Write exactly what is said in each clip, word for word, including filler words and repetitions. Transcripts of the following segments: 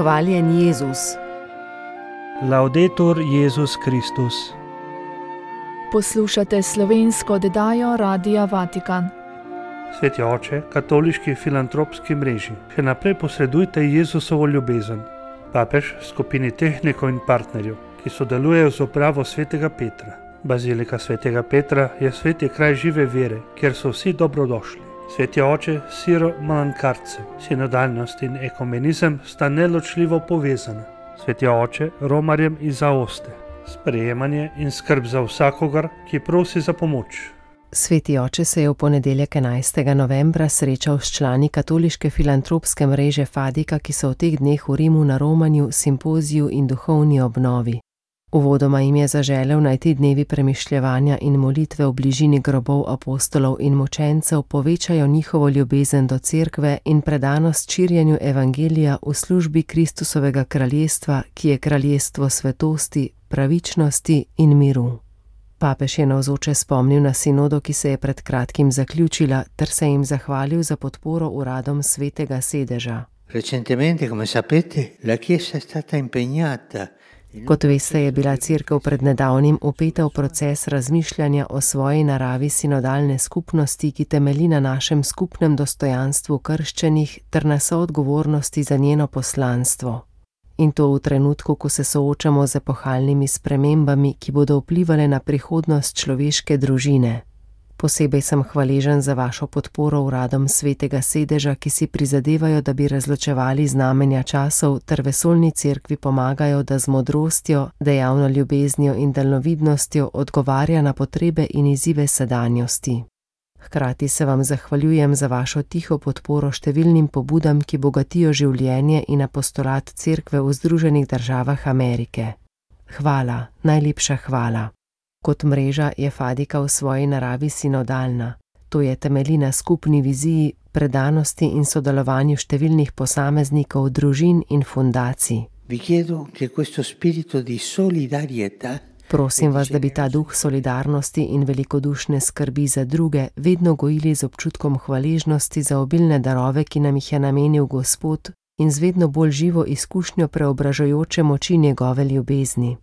Hvaljen Jezus. Laudetur Jezus Kristus. Poslušate slovensko oddajo Radia Vatikan. Sveti oče, katoliški filantropski mreži, še naprej posredujte Jezusovo ljubezen. Papež skupini tehnikov in partnerjev, ki sodelujejo z upravo svetega Petra. Bazilika svetega Petra je sveti kraj žive vere, kjer so vsi dobrodošli. Sveti oče Siro Malankarce, sinodalnost in ekumenizem sta neločljivo povezana. Sveti oče romarjem iz Aoste, sprejemanje in skrb za vsakogar, ki prosi za pomoč. Sveti oče se je v ponedeljek enajstega novembra srečal s člani katoliške filantropske mreže Fadika, ki so v teh dneh v Rimu na romanju, simpoziju in duhovni obnovi. Uvodoma jim je zaželel, naj ti dnevi premišljevanja in molitve v bližini grobov apostolov in mučencev povečajo njihovo ljubezen do cerkve in predanost širjenju evangelija v službi Kristusovega kraljestva, ki je kraljestvo svetosti, pravičnosti in miru. Papež je navzoče spomnil na sinodo, ki se je pred kratkim zaključila, ter se jim zahvalil za podporo uradom svetega sedeža. Recentemente, come sapete, la Chiesa è stata impegnata. Kot veste, je bila cerkev pred nedavnim vpeta v proces razmišljanja o svoji naravi sinodalne skupnosti, ki temelji na našem skupnem dostojanstvu krščenih ter na soodgovornosti za njeno poslanstvo. In to v trenutku, ko se soočamo z epohalnimi spremembami, ki bodo vplivale na prihodnost človeške družine. Posebej sem hvaležen za vašo podporo uradom svetega sedeža, ki si prizadevajo, da bi razločevali znamenja časov ter vesoljni cerkvi pomagajo, da z modrostjo, dejavno ljubeznijo in daljnovidnostjo odgovarja na potrebe in izzive sedanjosti. Hkrati se vam zahvaljujem za vašo tiho podporo številnim pobudam, ki bogatijo življenje in apostolat cerkve v Združenih državah Amerike. Hvala, najlepša hvala. Kot mreža je Fadika v svoji naravi sinodalna. To je temelji na skupni viziji, predanosti in sodelovanju številnih posameznikov, družin in fundacij. Vi chiedo che questo spirito di solidarietà. Prosim vas, da bi ta duh solidarnosti in velikodušne skrbi za druge vedno gojili z občutkom hvaležnosti za obilne darove, ki nam jih je namenil Gospod, in z vedno bolj živo izkušnjo preobražajoče moči njegove ljubezni.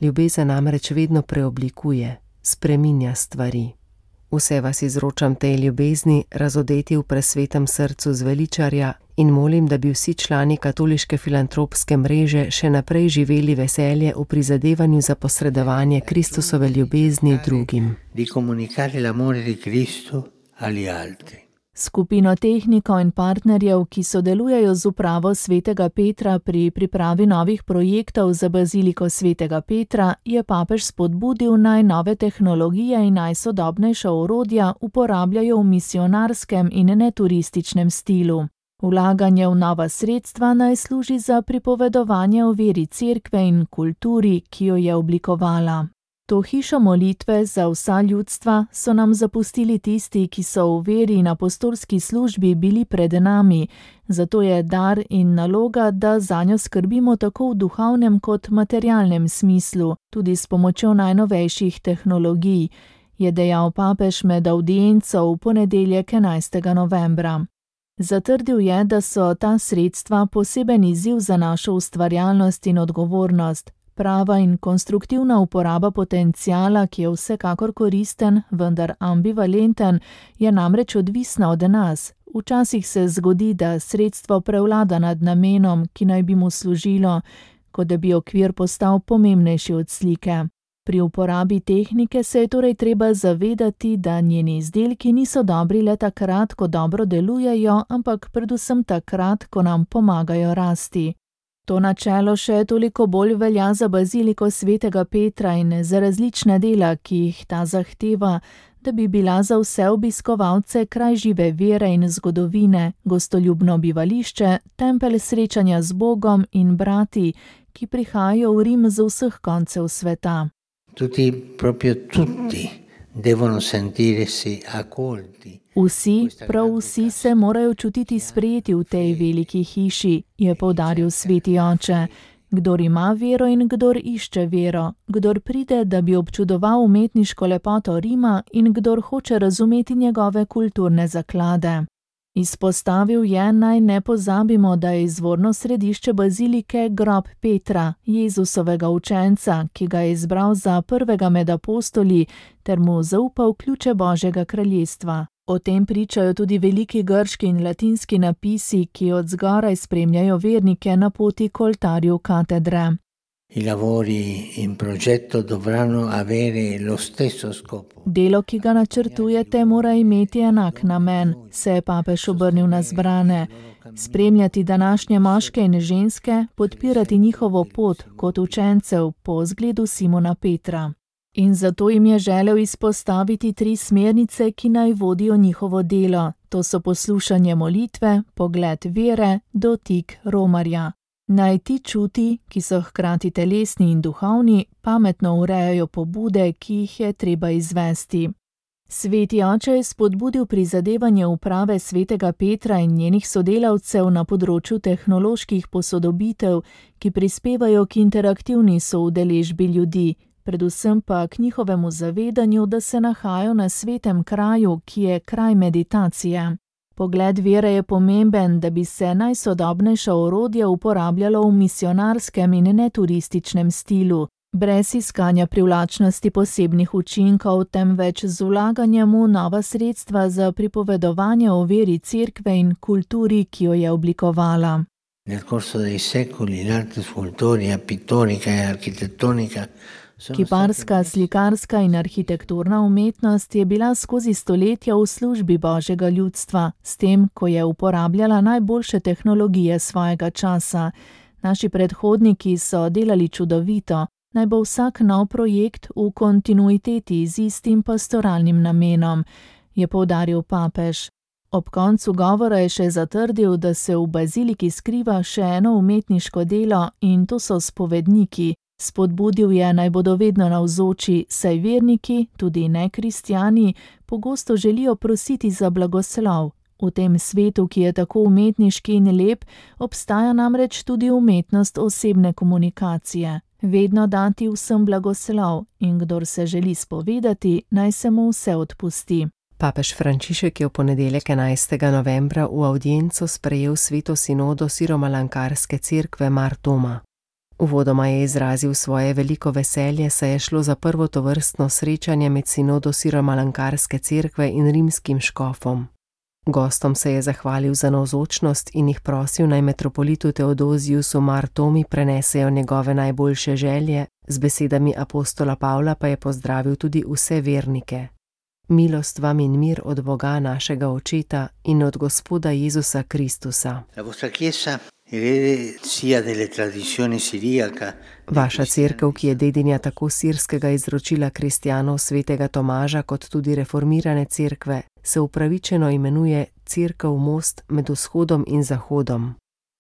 Ljubezen namreč vedno preoblikuje, spreminja stvari. Vse vas izročam tej ljubezni, razodeti v presvetem srcu zveličarja, in molim, da bi vsi člani katoliške filantropske mreže še naprej živeli veselje v prizadevanju za posredovanje Kristusove ljubezni drugim. Di comunicare l'amore di Cristo agli altri. Skupino tehnikov in partnerjev, ki sodelujejo z upravo svetega Petra pri pripravi novih projektov za baziliko svetega Petra, je papež spodbudil, naj nove tehnologije in najsodobnejša orodja uporabljajo v misionarskem in neturističnem stilu. Vlaganje v nova sredstva naj služi za pripovedovanje o veri cerkve in kulturi, ki jo je oblikovala. To hišo molitve za vsa ljudstva so nam zapustili tisti, ki so v veri in apostolski službi bili pred nami, zato je dar in naloga, da zanjo skrbimo tako v duhovnem kot materialnem smislu, tudi s pomočjo najnovejših tehnologij, je dejal papež med avdienco v ponedeljek enajstega novembra. Zatrdil je, da so ta sredstva poseben izziv za našo ustvarjalnost in odgovornost. Prava in konstruktivna uporaba potenciala, ki je vsekakor koristen, vendar ambivalenten, je namreč odvisna od nas. Včasih se zgodi, da sredstvo prevlada nad namenom, ki naj bi mu služilo, kot da bi okvir postal pomembnejši od slike. Pri uporabi tehnike se je torej treba zavedati, da njeni izdelki niso dobri le takrat, ko dobro delujejo, ampak predvsem takrat, ko nam pomagajo rasti. To načelo še toliko bolj velja za baziliko svetega Petra in za različna dela, ki jih ta zahteva, da bi bila za vse obiskovalce kraj žive vere in zgodovine, gostoljubno bivališče, tempelj srečanja z Bogom in brati, ki prihajajo v Rim z vseh koncev sveta. Tutti, proprio tutti, devono sentirsi accolti. Vsi, prav vsi se morajo čutiti sprejeti v tej veliki hiši, je poudaril sveti oče. Kdor ima vero in kdor išče vero, kdor pride, da bi občudoval umetniško lepoto Rima in kdor hoče razumeti njegove kulturne zaklade. Izpostavil je, naj ne pozabimo, da je izvorno središče bazilike grob Petra, Jezusovega učenca, ki ga je izbral za prvega med apostoli ter mu zaupal ključe Božjega kraljestva. O tem pričajo tudi veliki grški in latinski napisi, ki od zgoraj spremljajo vernike na poti k oltarju katedre. I lavori in progetto dovranno avere lo stesso scopo. Delo, ki ga načrtujete, mora imeti enak namen, se je papež obrnil na zbrane. Spremljati današnje moške in ženske, podpirati njihovo pot kot učencev po zgledu Simona Petra. In zato jim je želel izpostaviti tri smernice, ki naj vodijo njihovo delo. To so poslušanje molitve, pogled vere, dotik romarja. Naj ti čuti, ki so hkrati telesni in duhovni, pametno urejajo pobude, ki jih je treba izvesti. Sveti oče je spodbudil prizadevanje uprave svetega Petra in njenih sodelavcev na področju tehnoloških posodobitev, ki prispevajo k interaktivni soudeležbi ljudi, predvsem pa k njihovemu zavedanju, da se nahajajo na svetem kraju, ki je kraj meditacije. Pogled vere je pomemben, da bi se najsodobnejša orodja uporabljalo v misionarskem in neturističnem stilu, brez iskanja privlačnosti posebnih učinkov, temveč z vlaganjem v nova sredstva za pripovedovanje o veri cerkve in kulturi, ki jo je oblikovala. Nel corso dei secoli l'arte scultorea, pittorica e architettonica Kiparska, slikarska in arhitekturna umetnost je bila skozi stoletja v službi Božjega ljudstva, s tem, ko je uporabljala najboljše tehnologije svojega časa. Naši predhodniki so delali čudovito, naj bo vsak nov projekt v kontinuiteti z istim pastoralnim namenom, je poudaril papež. Ob koncu govora je še zatrdil, da se v baziliki skriva še eno umetniško delo in to so spovedniki. Spodbudil je, naj bodo vedno navzoči, saj verniki, tudi nekristjani, pogosto želijo prositi za blagoslov. V tem svetu, ki je tako umetniški in lep, obstaja namreč tudi umetnost osebne komunikacije. Vedno dati vsem blagoslov in kdor se želi spovedati, naj se mu vse odpusti. Papež Frančišek je v ponedeljek enajstega novembra v avdienco sprejel sveto sinodo Siromalankarske cerkve Mar Thoma. Uvodoma je izrazil svoje veliko veselje, saj je šlo za prvo tovrstno srečanje med sinodo Siromalankarske cerkve in rimskim škofom. Gostom se je zahvalil za navzočnost in jih prosil, naj metropolitu Teodoziusu Mar Thomi prenesejo njegove najboljše želje, z besedami apostola Pavla pa je pozdravil tudi vse vernike. Milost vam in mir od Boga našega Očeta in od Gospoda Jezusa Kristusa. Vaša cerkev, ki je dedinja tako sirskega izročila kristjanov svetega Tomaža kot tudi reformirane cerkve, se upravičeno imenuje Cerkev most med vzhodom in zahodom.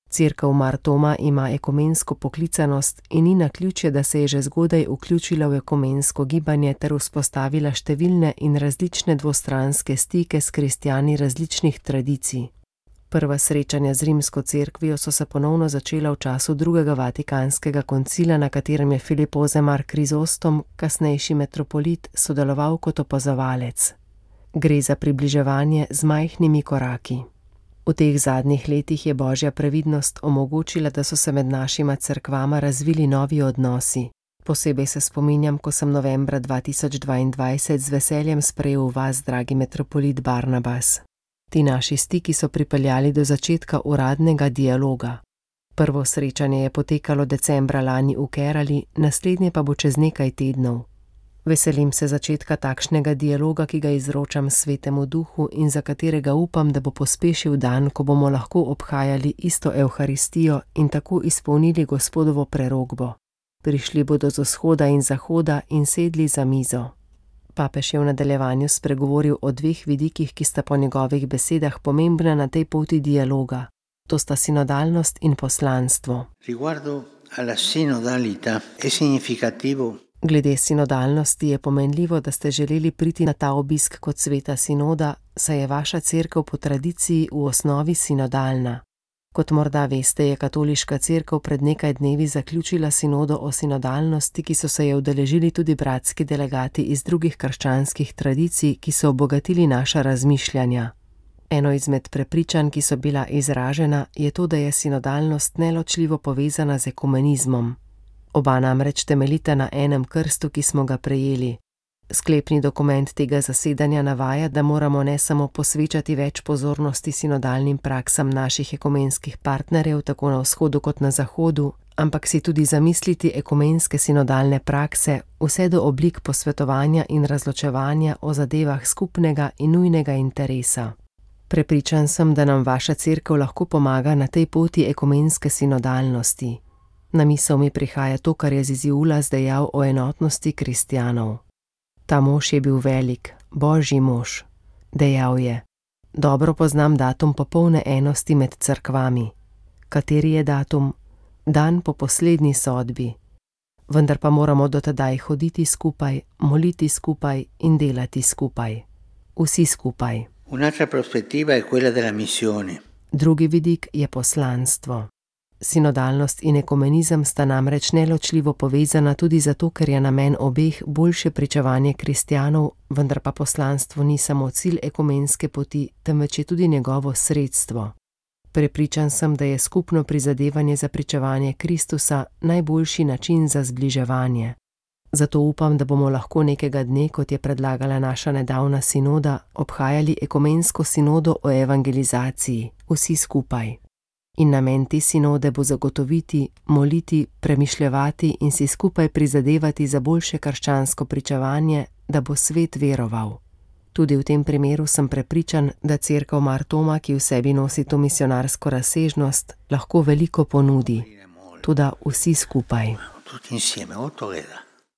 Cerkev Mar Thoma ima ekumensko poklicanost in ni naključje, da se je že zgodaj vključila v ekumensko gibanje ter vzpostavila številne in različne dvostranske stike s kristjani različnih tradicij. Prva srečanja z rimsko cerkvijo so se ponovno začela v času drugega vatikanskega koncila, na katerem je Filip Ozemar Krizostom, kasnejši metropolit, sodeloval kot opazovalec. Gre za približevanje z majhnimi koraki. V teh zadnjih letih je Božja previdnost omogočila, da so se med našima cerkvama razvili novi odnosi. Posebej se spominjam, ko sem novembra dva tisoč dvaindvajset z veseljem sprejel vas, dragi metropolit Barnabas. Ti naši stiki so pripeljali do začetka uradnega dialoga. Prvo srečanje je potekalo decembra lani v Kerali, naslednje pa bo čez nekaj tednov. Veselim se začetka takšnega dialoga, ki ga izročam Svetemu Duhu in za katerega upam, da bo pospešil dan, ko bomo lahko obhajali isto Evharistijo in tako izpolnili Gospodovo prerokbo. Prišli bodo z vzhoda in zahoda in sedli za mizo. Papež je v nadaljevanju spregovoril o dveh vidikih, ki sta po njegovih besedah pomembna na tej poti dialoga. To sta sinodalnost in poslanstvo. Riguardo alla sinodalità è significativo. Glede sinodalnosti je pomenljivo, da ste želeli priti na ta obisk kot sveta sinoda, saj je vaša cerkev po tradiciji v osnovi sinodalna. Kot morda veste, je katoliška cerkev pred nekaj dnevi zaključila sinodo o sinodalnosti, ki so se je udeležili tudi bratski delegati iz drugih krščanskih tradicij, ki so obogatili naša razmišljanja. Eno izmed prepričanj, ki so bila izražena, je to, da je sinodalnost neločljivo povezana z ekumenizmom. Oba namreč temeljita na enem krstu, ki smo ga prejeli. Sklepni dokument tega zasedanja navaja, da moramo ne samo posvečati več pozornosti sinodalnim praksam naših ekumenskih partnerjev, tako na vzhodu kot na zahodu, ampak si tudi zamisliti ekumenske sinodalne prakse, vse do oblik posvetovanja in razločevanja o zadevah skupnega in nujnega interesa. Prepričan sem, da nam vaša cerkev lahko pomaga na tej poti ekumenske sinodalnosti. Na misel mi prihaja to, kar je Zizi Ulas dejal o enotnosti kristjanov. Ta mož je bil velik, božji mož. Dejal je: dobro poznam datum popolne enosti med cerkvami. Kateri je datum? Dan po poslednji sodbi. Vendar pa moramo do tedaj hoditi skupaj, moliti skupaj in delati skupaj. Vsi skupaj. Un'altra prospettiva è quella della missione. Drugi vidik je poslanstvo. Sinodalnost in ekumenizem sta namreč neločljivo povezana tudi zato, ker je namen obeh boljše pričevanje kristjanov, vendar pa poslanstvo ni samo cilj ekumenske poti, temveč je tudi njegovo sredstvo. Prepričan sem, da je skupno prizadevanje za pričevanje Kristusa najboljši način za zbliževanje. Zato upam, da bomo lahko nekega dne, kot je predlagala naša nedavna sinoda, obhajali ekumensko sinodo o evangelizaciji, vsi skupaj. In namen te sinode bo zagotoviti, moliti, premišljevati in si skupaj prizadevati za boljše krščansko pričevanje, da bo svet veroval. Tudi v tem primeru sem prepričan, da cerkev Mar Thoma, ki v sebi nosi to misionarsko razsežnost, lahko veliko ponudi. Toda vsi skupaj.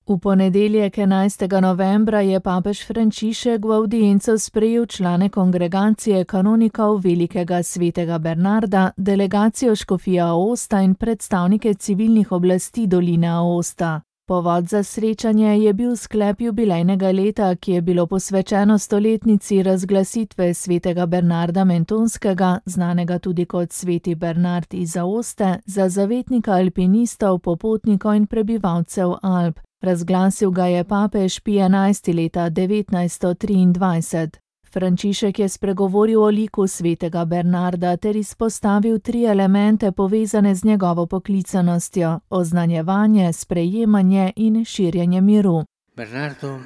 V ponedeljek enajstega novembra je papež Frančišek v avdienco sprejel člane kongregacije kanonikov Velikega svetega Bernarda, delegacijo škofije Aosta in predstavnike civilnih oblasti doline Aosta. Povod za srečanje je bil sklep jubilejnega leta, ki je bilo posvečeno stoletnici razglasitve svetega Bernarda Mentonskega, znanega tudi kot sveti Bernard iz Aoste, za zavetnika alpinistov, popotnikov in prebivalcev Alp. Razglasil ga je papež Pij enajsti leta devetnajststo triindvajset. Frančišek je spregovoril o liku svetega Bernarda ter izpostavil tri elemente povezane z njegovo poklicanostjo: oznanjevanje, sprejemanje in širjenje miru. Bernardo,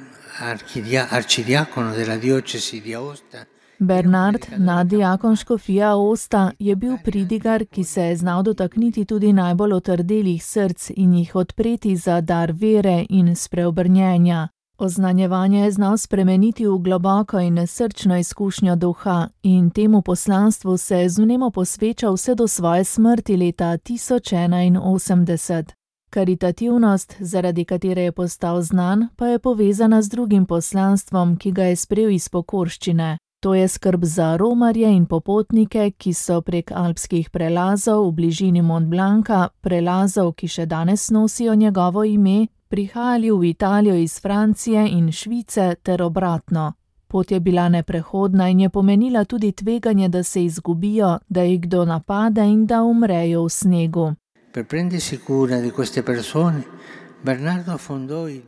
arcidiacono della diocesi di Aosta, Bernard, naddiakon škofije Aosta, je bil pridigar, ki se je znal dotakniti tudi najbolj otrdelih src in jih odpreti za dar vere in spreobrnjenja. Oznanjevanje je znal spremeniti v globoko in srčno izkušnjo duha in temu poslanstvu se je z vnemo posvečal vse do svoje smrti leta tisoč enainosemdeset. Karitativnost, zaradi katere je postal znan, pa je povezana z drugim poslanstvom, ki ga je sprejel iz pokorščine. To je skrb za romarje in popotnike, ki so prek alpskih prelazov v bližini Mont Blanca, prelazov, ki še danes nosijo njegovo ime, prihajali v Italijo iz Francije in Švice ter obratno. Pot je bila neprehodna in je pomenila tudi tveganje, da se izgubijo, da jih kdo napade in da umrejo v snegu.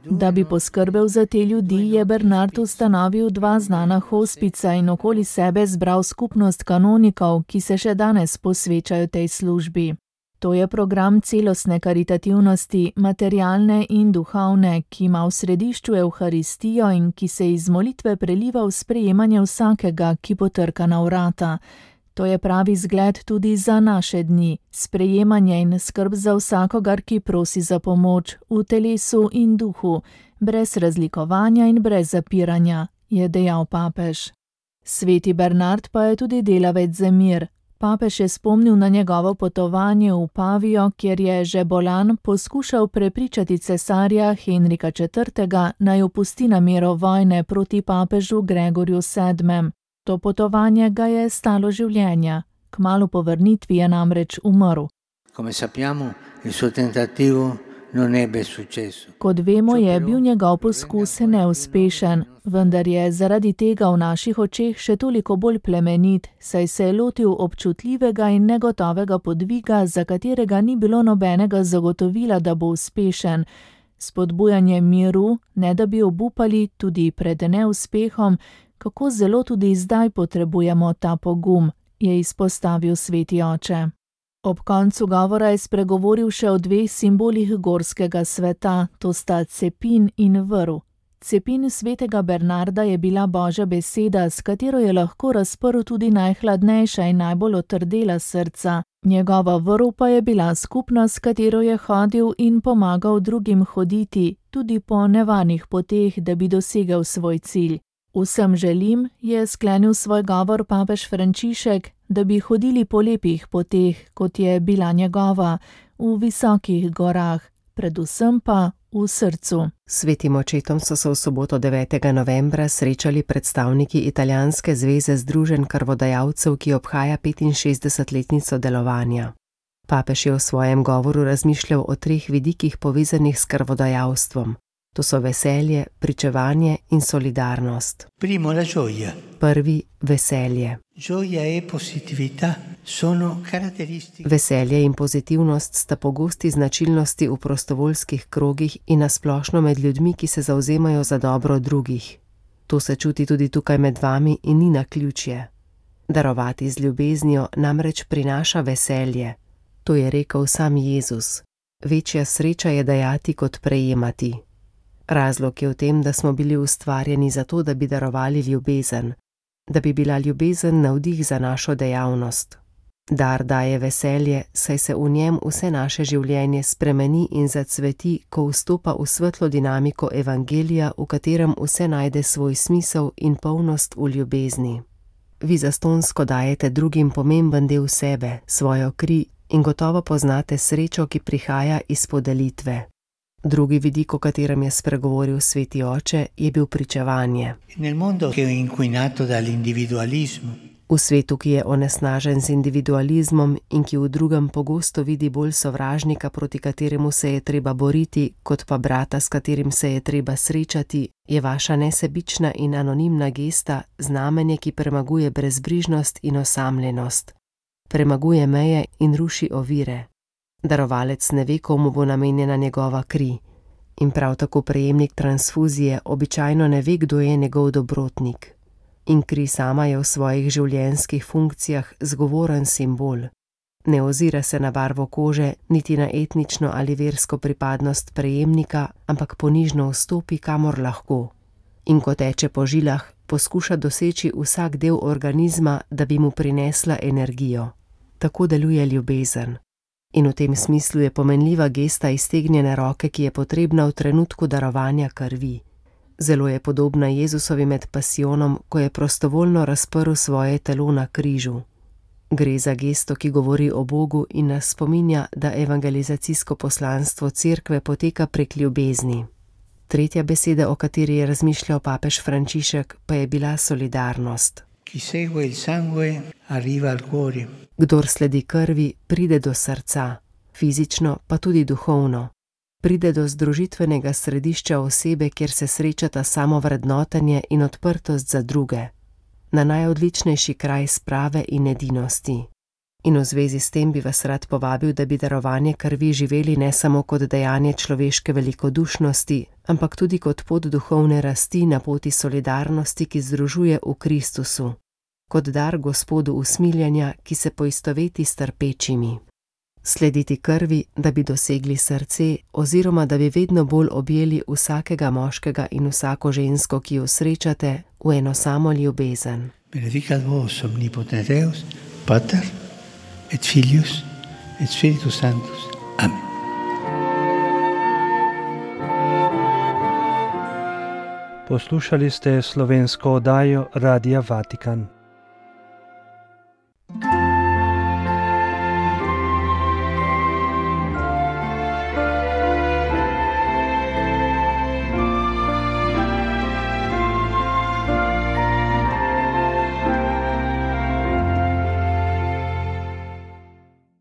Da bi poskrbel za te ljudi, je Bernard ustanovil dva znana hospica in okoli sebe zbral skupnost kanonikov, ki se še danes posvečajo tej službi. To je program celostne karitativnosti, materialne in duhovne, ki ima v središču Evharistijo in ki se iz molitve preliva v sprejemanje vsakega, ki potrka na vrata. To je pravi zgled tudi za naše dni, sprejemanje in skrb za vsakogar, ki prosi za pomoč v telesu in duhu, brez razlikovanja in brez zapiranja, je dejal papež. Sveti Bernard pa je tudi delavec za mir. Papež je spomnil na njegovo potovanje v Pavijo, kjer je že bolan poskušal prepričati cesarja Henrika četrtega, naj opusti namero vojne proti papežu Gregorju sedmemu. To potovanje ga je stalo življenja. Kmalu po vrnitvi je namreč umrl. Kot vemo, je bil njegov poskus neuspešen, vendar je zaradi tega v naših očeh še toliko bolj plemenit, saj se je lotil občutljivega in negotovega podviga, za katerega ni bilo nobenega zagotovila, da bo uspešen. Spodbujanje miru, ne da bi obupali tudi pred neuspehom, Kako zelo tudi zdaj potrebujemo ta pogum, je izpostavil sveti oče. Ob koncu govora je spregovoril še o dveh simbolih gorskega sveta, to sta cepin in vrv. Cepin svetega Bernarda je bila Božja beseda, s katero je lahko razprl tudi najhladnejša in najbolj otrdela srca. Njegova vrv pa je bila skupnost, s katero je hodil in pomagal drugim hoditi, tudi po nevarnih poteh, da bi dosegel svoj cilj. Vsem želim, je sklenil svoj govor papež Frančišek, da bi hodili po lepih poteh, kot je bila njegova, v visokih gorah, predvsem pa v srcu. Svetim očetom so se v soboto devetega novembra srečali predstavniki Italijanske zveze združenj krvodajalcev, ki obhaja petinšestdesetletnico delovanja. Papež je v svojem govoru razmišljal o treh vidikih povezanih s krvodajalstvom. To so veselje, pričevanje in solidarnost. Primo la gioia. Prvi, veselje. Gioia e positività sono caratteristiche. Veselje in pozitivnost sta pogosti značilnosti v prostovoljskih krogih in nasplošno med ljudmi, ki se zavzemajo za dobro drugih. To se čuti tudi tukaj med vami in ni naključje. Darovati z ljubeznijo namreč prinaša veselje. To je rekel sam Jezus. Večja sreča je dajati kot prejemati. Razlog je v tem, da smo bili ustvarjeni zato, da bi darovali ljubezen, da bi bila ljubezen navdih za našo dejavnost. Dar daje veselje, saj se v njem vse naše življenje spremeni in zacveti, ko vstopa v svetlo dinamiko evangelija, v katerem vse najde svoj smisel in polnost v ljubezni. Vi zastonsko dajete drugim pomemben del sebe, svojo kri in gotovo poznate srečo, ki prihaja iz podelitve. Drugi vidik, o katerem je spregovoril sveti oče, je bil pričevanje. Nel mondo che è inquinato dall'individualismo. V svetu, ki je onesnažen z individualizmom in ki v drugem pogosto vidi bolj sovražnika, proti kateremu se je treba boriti, kot pa brata, s katerim se je treba srečati, je vaša nesebična in anonimna gesta znamenje, ki premaguje brezbrižnost in osamljenost. Premaguje meje in ruši ovire. Darovalec ne ve, komu bo namenjena njegova kri. In prav tako prejemnik transfuzije običajno ne ve, kdo je njegov dobrotnik. In kri sama je v svojih življenjskih funkcijah zgovoren simbol. Ne ozira se na barvo kože, niti na etnično ali versko pripadnost prejemnika, ampak ponižno vstopi, kamor lahko. In ko teče po žilah, poskuša doseči vsak del organizma, da bi mu prinesla energijo. Tako deluje ljubezen. In v tem smislu je pomenljiva gesta iztegnjene roke, ki je potrebna v trenutku darovanja krvi. Zelo je podobna Jezusovi med pasijonom, ko je prostovoljno razprl svoje telo na križu. Gre za gesto, ki govori o Bogu in nas spominja, da evangelizacijsko poslanstvo cerkve poteka prek ljubezni. Tretja beseda, o kateri je razmišljal papež Frančišek, pa je bila solidarnost. Chi segue il sangue arriva al cuore. Kdor sledi krvi, pride do srca, fizično pa tudi duhovno. Pride do združitvenega središča osebe, kjer se srečata samovrednotenje in odprtost za druge. Na najodličnejši kraj sprave in edinosti. In v zvezi s tem bi vas rad povabil, da bi darovanje krvi živeli ne samo kot dejanje človeške velikodušnosti, ampak tudi kot pot duhovne rasti na poti solidarnosti, ki združuje v Kristusu. Kot dar Gospodu usmiljenja, ki se poistoveti s trpečimi. Slediti krvi, da bi dosegli srce, oziroma da bi vedno bolj objeli vsakega moškega in vsako žensko, ki jo srečate, v eno samo ljubezen. Benedicat vos omnipotens Deus, Pater et Filius et Spiritus Sanctus. Amen. Poslušali ste slovensko oddajo Radia Vatikan.